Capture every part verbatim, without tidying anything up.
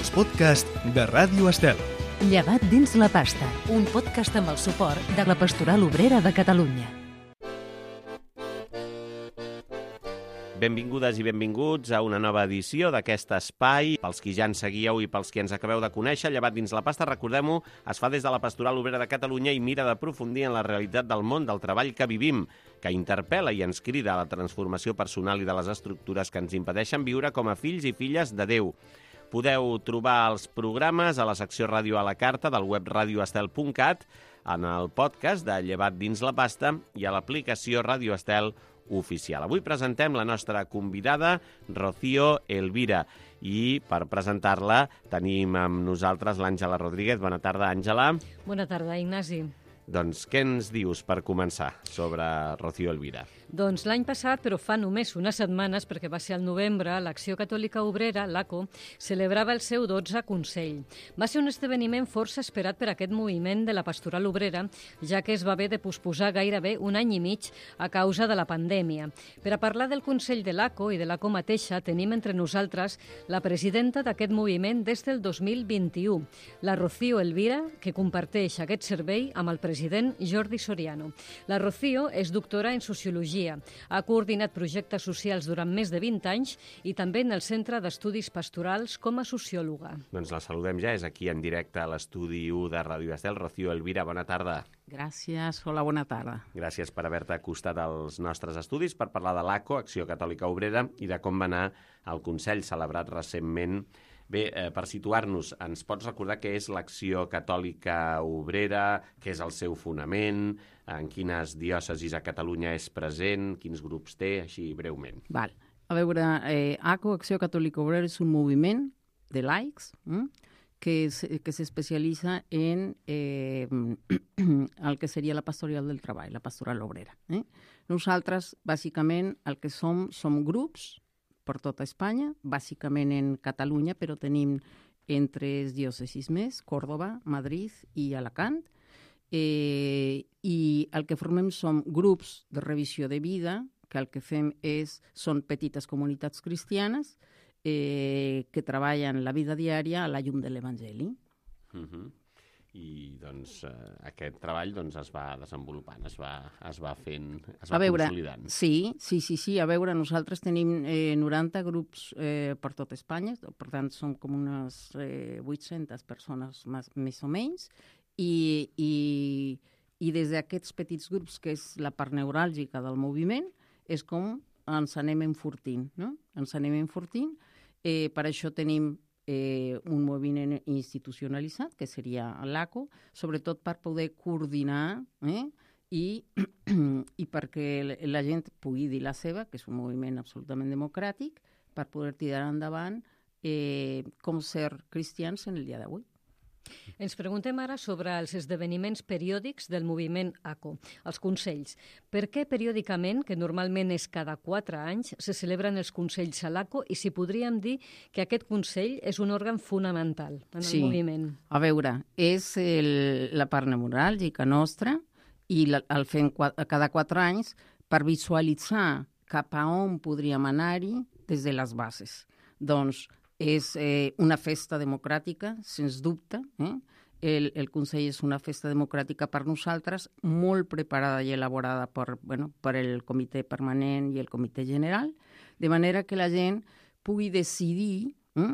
els podcasts de Ràdio Estel. Llevat dins la pasta, un podcast amb el suport de la Pastoral Obrera de Catalunya. Benvingudes i benvinguts a una nova edició d'aquest espai. Pels qui ja ens seguíeu i pels qui ens acabeu de conèixer, Llevat dins la pasta, recordem-ho, es fa des de la Pastoral Obrera de Catalunya i mira d'aprofundir en la realitat del món del treball que vivim, que interpel·la i ens crida a la transformació personal i de les estructures que ens impedeixen viure com a fills i filles de Déu. Podeu trobar els programes a la secció Ràdio a la Carta del web radioestel punt cat, en el podcast de Llevat dins la pasta i a l'aplicació Ràdio Estel oficial. Avui presentem la nostra convidada, Rocío Elvira, i per presentar-la tenim amb nosaltres l'Àngela Rodríguez. Bona tarda, Àngela. Bona tarda, Ignasi. Doncs què ens dius per començar sobre Rocío Elvira? Doncs l'any passat, però fa només unes setmanes, perquè va ser al novembre, l'Acció Catòlica Obrera, l'A C O, celebrava el seu dotzè Consell. Va ser un esdeveniment força esperat per aquest moviment de la Pastoral Obrera, ja que es va haver de posposar gairebé un any i mig a causa de la pandèmia. Per a parlar del Consell de l'A C O i de l'A C O mateixa, tenim entre nosaltres la presidenta d'aquest moviment des del dos mil vint-i-u, la Rocío Elvira, que comparteix aquest servei amb el president Jordi Soriano. La Rocío és doctora en Sociologia. Ha coordinat projectes socials durant més de vint anys i també en el Centre d'Estudis Pastorals com a sociòloga. Doncs la saludem ja, és aquí en directe a l'estudi u de Ràdio Estel. Rocío Elvira, bona tarda. Gràcies, hola, bona tarda. Gràcies per haver-te acostat als nostres estudis per parlar de l'A C O, Acció Catòlica Obrera, i de com va anar el Consell celebrat recentment. Bé, eh, per situar-nos, ens pots recordar què és l'Acció Catòlica Obrera, què és el seu fonament, en quines diòcesis a Catalunya és present, quins grups té, així breument. Val. A veure, eh, A C O, Acció Catòlica Obrera, és un moviment de laics hm? que, es, que s'especialitza en eh, el que seria la pastoral del treball, la pastoral obrera. Eh? Nosaltres, bàsicament, el que som, som grups per tota Espanya, bàsicament en Catalunya, però tenim en tres diòcesis més, Còrdova, Madrid i Alacant, eh, i el que formem són grups de revisió de vida, que el que fem és, són petites comunitats cristianes eh, que treballen la vida diària a la llum de l'Evangeli. Uh-huh. I doncs eh, aquest treball doncs, es va desenvolupant, es va, es va fent, es va a veure, consolidant. Sí, sí, sí, sí, a veure, nosaltres tenim eh, noranta grups eh, per tot Espanya, per tant som com unes eh, vuit-centes persones més, més o menys, i, i, i des d'aquests petits grups, que és la part neuràlgica del moviment, és com ens anem enfortint, no? Ens anem enfortint, eh, per això tenim Eh, un moviment institucionalitzat, que seria l'A C O, sobretot per poder coordinar eh, i, i perquè la gent pugui dir la seva, que és un moviment absolutament democràtic, per poder tirar endavant eh, com ser cristians en el dia d'avui. Ens preguntem ara sobre els esdeveniments periòdics del moviment A C O, els consells. Per què periòdicament, que normalment és cada quatre anys, se celebren els consells a l'A C O i si podríem dir que aquest consell és un òrgan fonamental en sí. el moviment? A veure, és el, la part neuràlgica nostra i la, el fem quatre, cada quatre anys per visualitzar cap a on podríem anar-hi des de les bases. Doncs és eh, una festa democràtica, sens dubte. Eh? El, el Consell és una festa democràtica per nosaltres, molt preparada i elaborada per, bueno, per el comitè permanent i el comitè general, de manera que la gent pugui decidir eh,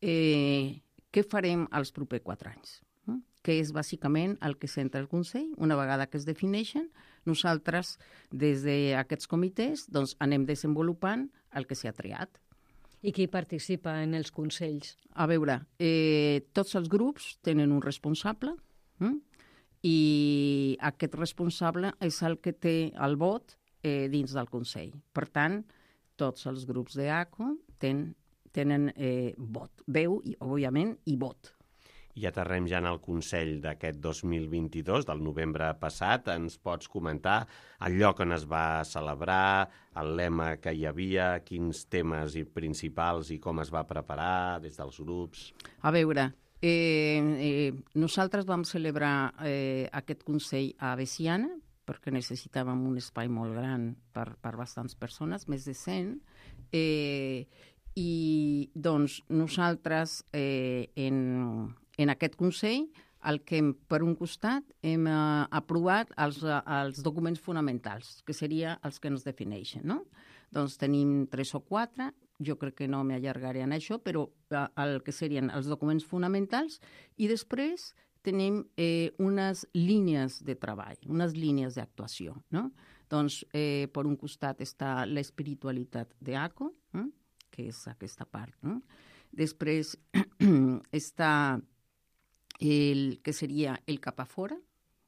eh, què farem els propers quatre anys, eh? Que és bàsicament el que centra el Consell. Una vegada que es defineixen, nosaltres, des d'aquests comitès, doncs, anem desenvolupant el que s'ha triat. I qui participa en els consells? A veure, eh, tots els grups tenen un responsable eh? i aquest responsable és el que té el vot eh, dins del Consell. Per tant, tots els grups de A C O ten, tenen eh, vot, veu, i, òbviament, i vot. I aterrem ja en el Consell d'aquest dos mil vint-i-dos, del novembre passat. Ens pots comentar el lloc on es va celebrar, el lema que hi havia, quins temes principals i com es va preparar des dels grups? A veure, eh, eh, nosaltres vam celebrar eh, aquest Consell a Veciana, perquè necessitàvem un espai molt gran per, per bastants persones, més de cent, eh, I doncs nosaltres eh, en, en aquest Consell el que hem, per un costat hem eh, aprovat els, els documents fonamentals, que serien els que ens defineixen, no? Doncs tenim tres o quatre, jo crec que no m'allargaré en això, però eh, el que serien els documents fonamentals, i després tenim eh, unes línies de treball, unes línies d'actuació, no? Doncs eh, per un costat està l'espiritualitat d'ACO, eh? que és aquesta part, no? Després està el que seria el cap a fora,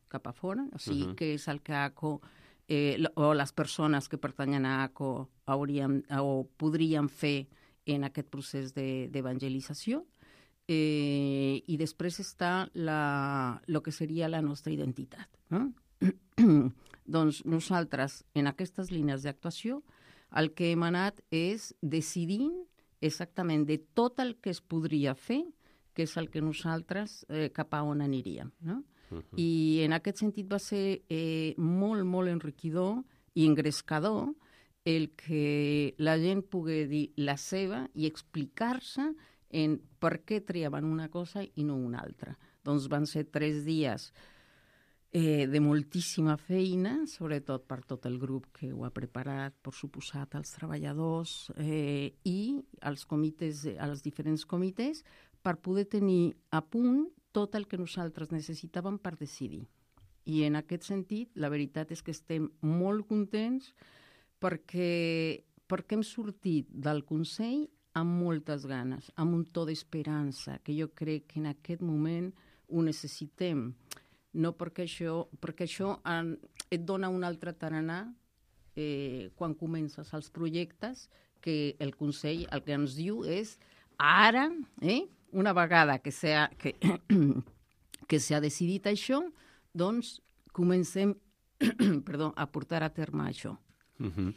cap a fora, o sigui, uh-huh. que és el que ACO eh, o les persones que pertanyen a ACO haurien, o podrien fer en aquest procés d'evangelització. Eh, I després està la, lo que seria la nostra identitat. No? Doncs nosaltres, en aquestes línies d'actuació, el que hem anat és decidint exactament de tot el que es podria fer, que és el que nosaltres eh, cap a on aniríem. No? Uh-huh. I en aquest sentit va ser eh, molt, molt enriquidor i engrescador el que la gent pugui dir la seva i explicar-se en per què triaven una cosa i no una altra. Doncs van ser tres dies eh, de moltíssima feina, sobretot per tot el grup que ho ha preparat, per suposat, els treballadors eh, i els comitès, els diferents comitès, per poder tenir a punt tot el que nosaltres necessitàvem per decidir. I en aquest sentit, la veritat és que estem molt contents perquè, perquè hem sortit del Consell amb moltes ganes, amb un to d'esperança, que jo crec que en aquest moment ho necessitem. No perquè això, perquè això en, et dona un altre tarannà eh, quan comences els projectes, que el Consell el que ens diu és ara, eh, una vegada que s'ha que, que s'ha decidit això, doncs comencem perdó, a portar a terme això. Uh-huh.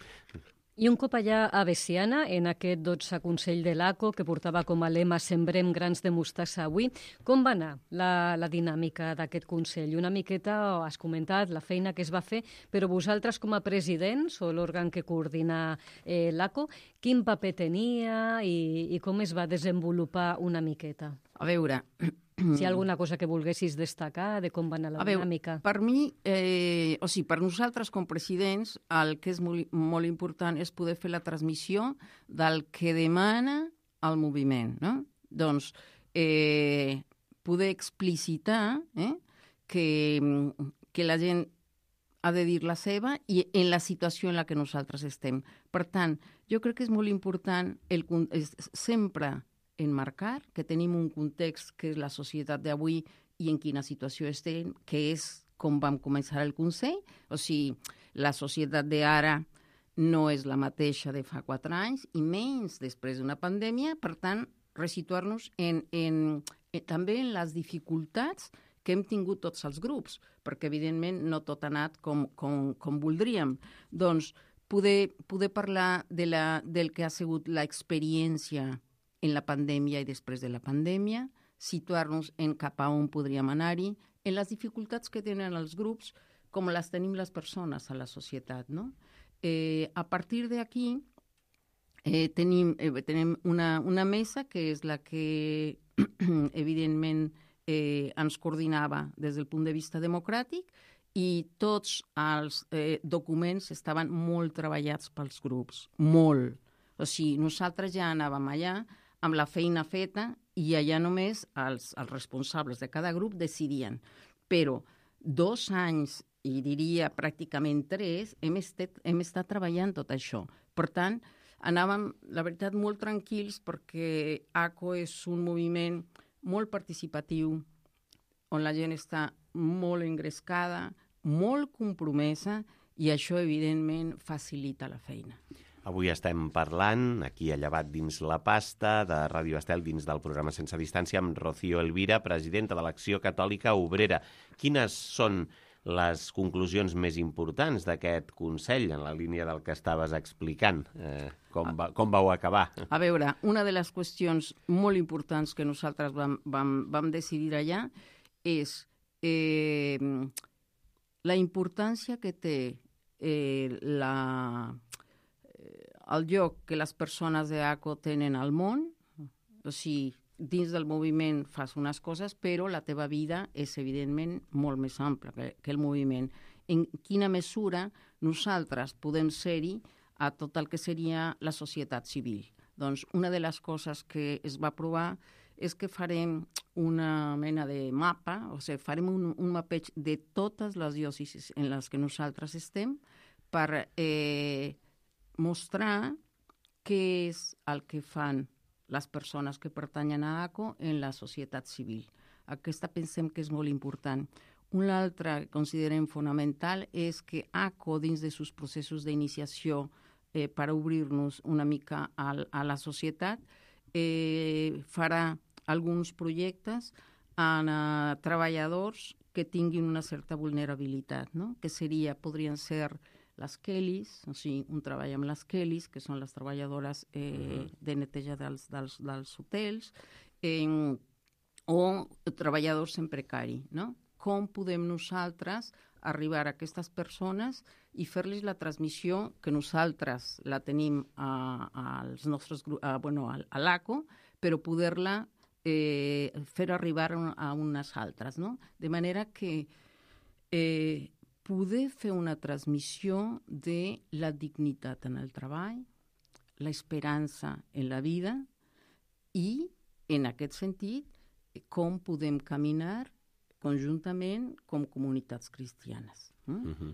I un cop allà a Veciana, en aquest dotze Consell de l'ACO, que portava com a lema Sembrem grans de mostassa avui, com va anar la, la dinàmica d'aquest Consell? Una miqueta, has comentat, la feina que es va fer, però vosaltres com a presidents o l'òrgan que coordina eh, l'ACO, quin paper tenia i, i com es va desenvolupar una miqueta? A veure... Si hi ha alguna cosa que volguessis destacar de com va anar la a veure, dinàmica. Per mi, eh, o sigui, per nosaltres com presidents, el que és molt, molt important és poder fer la transmissió del que demana el moviment, no? Doncs eh, poder explicitar eh, que, que la gent ha de dir la seva i en la situació en la que nosaltres estem. Per tant, jo crec que és molt important el, és, sempre enmarcar que tenim un context que és la societat d'avui i en quina situació estem, que és com vam començar el Consell. O sigui, la societat d'ara no és la mateixa de fa quatre anys i menys després d'una pandèmia. Per tant, resituar-nos en, en, en, també en les dificultats que hem tingut tots els grups, perquè evidentment no tot ha anat com, com, com voldríem. Doncs poder, poder parlar de la, del que ha sigut l'experiència en la pandèmia i després de la pandèmia, situar-nos en cap a on podríem anar-hi, en les dificultats que tenen els grups, com les tenim les persones a la societat, no? Eh, a partir d'aquí eh, tenim, eh, tenim una, una mesa que és la que evidentment eh, ens coordinava des del punt de vista democràtic i tots els eh, documents estaven molt treballats pels grups, molt. O sigui, nosaltres ja anàvem allà amb la feina feta i allà només els, els responsables de cada grup decidien. Però dos anys, i diria pràcticament tres, hem estat, hem estat treballant tot això. Per tant, anàvem, la veritat, molt tranquils perquè ACO és un moviment molt participatiu, on la gent està molt engrescada, molt compromesa, i això, evidentment, facilita la feina. Avui estem parlant, aquí a Llevat dins la pasta, de Ràdio Estel dins del programa Sense Distància, amb Rocío Elvira, presidenta de l'Acció Catòlica Obrera. Quines són les conclusions més importants d'aquest Consell, en la línia del que estaves explicant? Eh, com, va, com vau acabar? A veure, una de les qüestions molt importants que nosaltres vam, vam, vam decidir allà és eh, la importància que té eh, la... el lloc que les persones d'ACO tenen al món, o sigui, dins del moviment fas unes coses, però la teva vida és, evidentment, molt més ampla que, que el moviment. En quina mesura nosaltres podem ser-hi a tot el que seria la societat civil? Doncs una de les coses que es va provar és que farem una mena de mapa, o sigui, farem un, un mapeig de totes les diòcesis en les que nosaltres estem per eh, mostrar què és el que fan les persones que pertanyen a ACO en la societat civil. Aquesta pensem que és molt important. Una altra que considerem fonamental és que ACO, dins de sus processos d'iniciació eh, per obrir-nos una mica a, a la societat, eh, farà alguns projectes en uh, treballadors que tinguin una certa vulnerabilitat, no? Que seria, podrien ser les Kellys, o sigui, un treball amb les Kellys, que són les treballadores eh, uh-huh. de neteja dels, dels, dels hotels, eh, o treballadors en precari, no? Com podem nosaltres arribar a aquestes persones i fer-los la transmissió que nosaltres la tenim a, als nostres, a, bueno, a, a l'ACO, però poder-la eh, fer arribar a unes altres, no? De manera que eh, poder fer una transmissió de la dignitat en el treball, l'esperança en la vida i, en aquest sentit, com podem caminar conjuntament com comunitats cristianes. Mm? Uh-huh.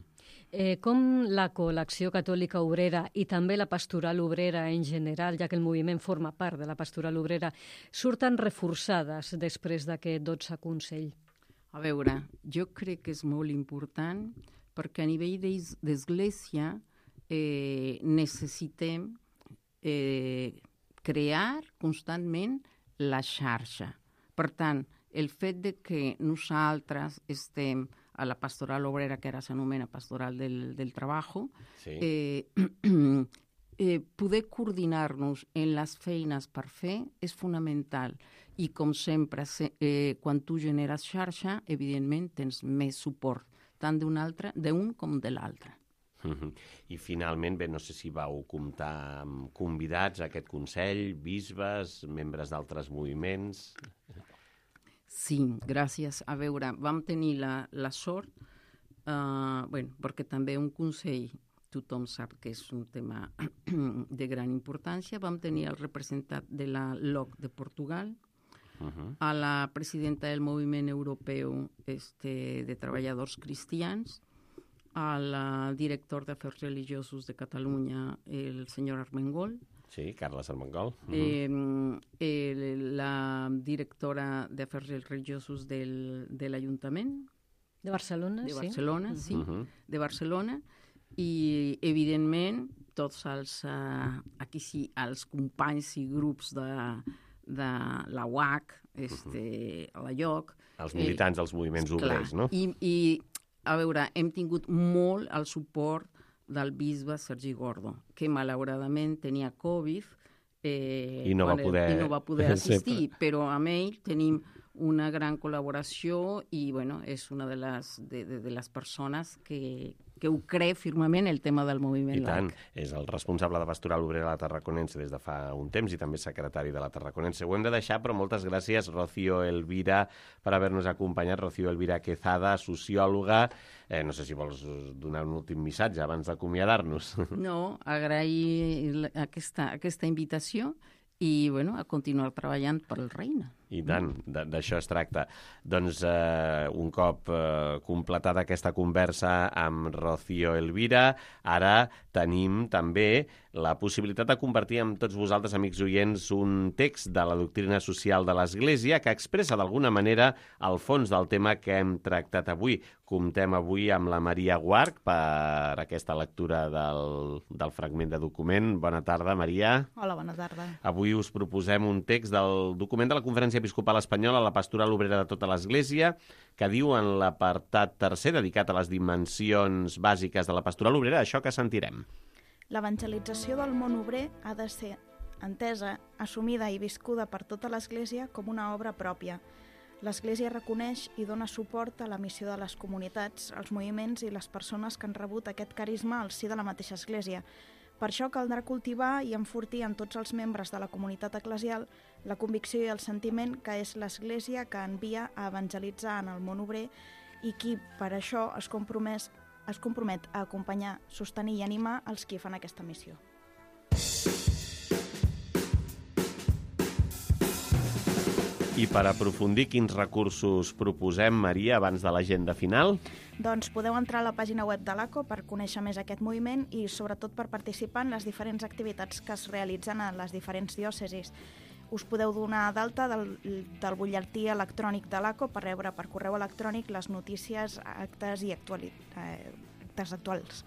eh, com l'ACO, l'Acció Catòlica Obrera, i també la Pastoral Obrera en general, ja que el moviment forma part de la Pastoral Obrera, surten reforçades després d'aquest dotze Consell? A veure, jo crec que és molt important perquè a nivell d'església eh, necessitem eh, crear constantment la xarxa. Per tant, el fet de que nosaltres estem a la pastoral obrera, que ara s'anomena pastoral del, del treballo, sí. eh, eh, poder coordinar-nos en les feines per fer és fonamental. I, com sempre, se, eh, quan tu generes xarxa, evidentment tens més suport, tant d'un altre, d'un com de l'altre. Uh-huh. I finalment, bé, no sé si vau comptar amb convidats a aquest Consell, bisbes, membres d'altres moviments... Sí, gràcies. A veure, vam tenir la, la sort, uh, bueno, perquè també un consell, tothom sap que és un tema de gran importància, vam tenir el representant de la L O C de Portugal, uh-huh. a la presidenta del Moviment Europeu este, de Treballadors Cristians, al director d'Afers Religiosos de Catalunya, el senyor Armengol, sí, Carles Armengol. Uh-huh. eh, eh, la directora d'Afers Religiosos del, de l'Ajuntament. De Barcelona, de sí. Barcelona, sí, uh-huh. de Barcelona. I, evidentment, tots els, uh, aquí sí, els companys i grups de, de la U A C, este, uh-huh. a la I O C. Els militants eh, dels moviments obrers, no? I, I, a veure, hem tingut molt el suport del bisbe Sergi Gordo, que malauradament tenia Covid eh, I, no va poder... i no va poder assistir, però amb ell tenim una gran col·laboració i bueno, és una de les, de, de, de les persones que, que ho creu firmament el tema del moviment I tant, laic. és el responsable de Pastoral Obrera de la Tarraconense des de fa un temps i també secretari de la Tarraconense. Ho hem de deixar, però moltes gràcies, Rocío Elvira, per haver-nos acompanyat. Rocío Elvira Quezada, sociòloga. Eh, no sé si vols donar un últim missatge abans d'acomiadar-nos. No, agrair aquesta, aquesta invitació i bueno, a continuar treballant per al reina. I tant, d'això es tracta. Doncs eh, un cop eh, completada aquesta conversa amb Rocío Elvira, ara tenim també la possibilitat de compartir amb tots vosaltres, amics oients, un text de la doctrina social de l'Església que expressa d'alguna manera el fons del tema que hem tractat avui. Comptem avui amb la Maria Guarch per aquesta lectura del, del fragment de document. Bona tarda, Maria. Hola, bona tarda. Avui us proposem un text del document de la Conferència Episcopal Espanyola, la Pastoral Obrera de tota l'Església, que diu en l'apartat tercer, dedicat a les dimensions bàsiques de la Pastoral Obrera, això que sentirem. L'evangelització del món obrer ha de ser entesa, assumida i viscuda per tota l'Església com una obra pròpia. L'Església reconeix i dona suport a la missió de les comunitats, els moviments i les persones que han rebut aquest carisma al si de la mateixa Església. Per això caldrà cultivar i enfortir en tots els membres de la comunitat eclesial la convicció i el sentiment que és l'Església que envia a evangelitzar en el món obrer i qui, per això, es compromet, es compromet a acompanyar, sostenir i animar els qui fan aquesta missió. I per aprofundir quins recursos proposem, Maria, abans de l'agenda final? Doncs podeu entrar a la pàgina web de l'A C O per conèixer més aquest moviment i sobretot per participar en les diferents activitats que es realitzen a les diferents diòcesis. Us podeu donar d'alta del, del butlletí electrònic de l'A C O per rebre per correu electrònic les notícies, actes i actuali... eh, actes actuals.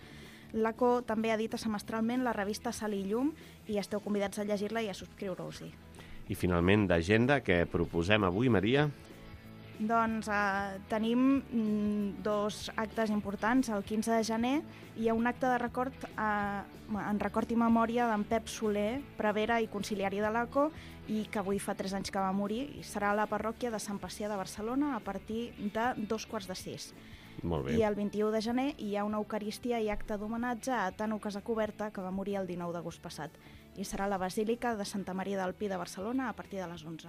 L'A C O també edita semestralment la revista Sal i Llum i esteu convidats a llegir-la i a subscriure-us-hi. I finalment, d'agenda, què proposem avui, Maria? Doncs eh, tenim mm, dos actes importants. El quinze de gener hi ha un acte de record, eh, en record i memòria d'en Pep Soler, prevere i conciliari de l'A C O, i que avui fa tres anys que va morir, i serà a la parròquia de Sant Pacià de Barcelona a partir de dos quarts de sis. Molt bé. I el vint-i-u de gener hi ha una eucaristia i acte d'homenatge a Tano Casacuberta, que va morir el dinou d'agost passat. I serà a la Basílica de Santa Maria del Pi de Barcelona a partir de les onze.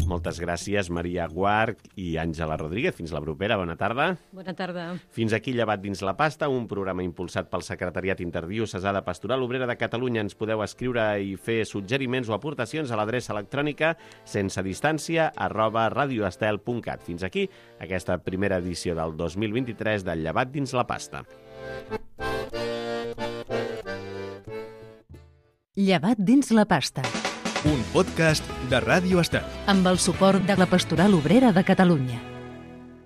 Moltes gràcies, Maria Guarch i Àngela Rodríguez. Fins la propera. Bona tarda. Bona tarda. Fins aquí Llevat dins la pasta, un programa impulsat pel Secretariat Interdiocesà de Pastoral Obrera de Catalunya. Ens podeu escriure i fer suggeriments o aportacions a l'adreça electrònica sense distància arroba radioestel punt cat. Fins aquí aquesta primera edició del dos mil vint-i-tres del Llevat dins la pasta. Llevat dins la pasta. Un podcast de Ràdio Estel. Amb el suport de la Pastoral Obrera de Catalunya.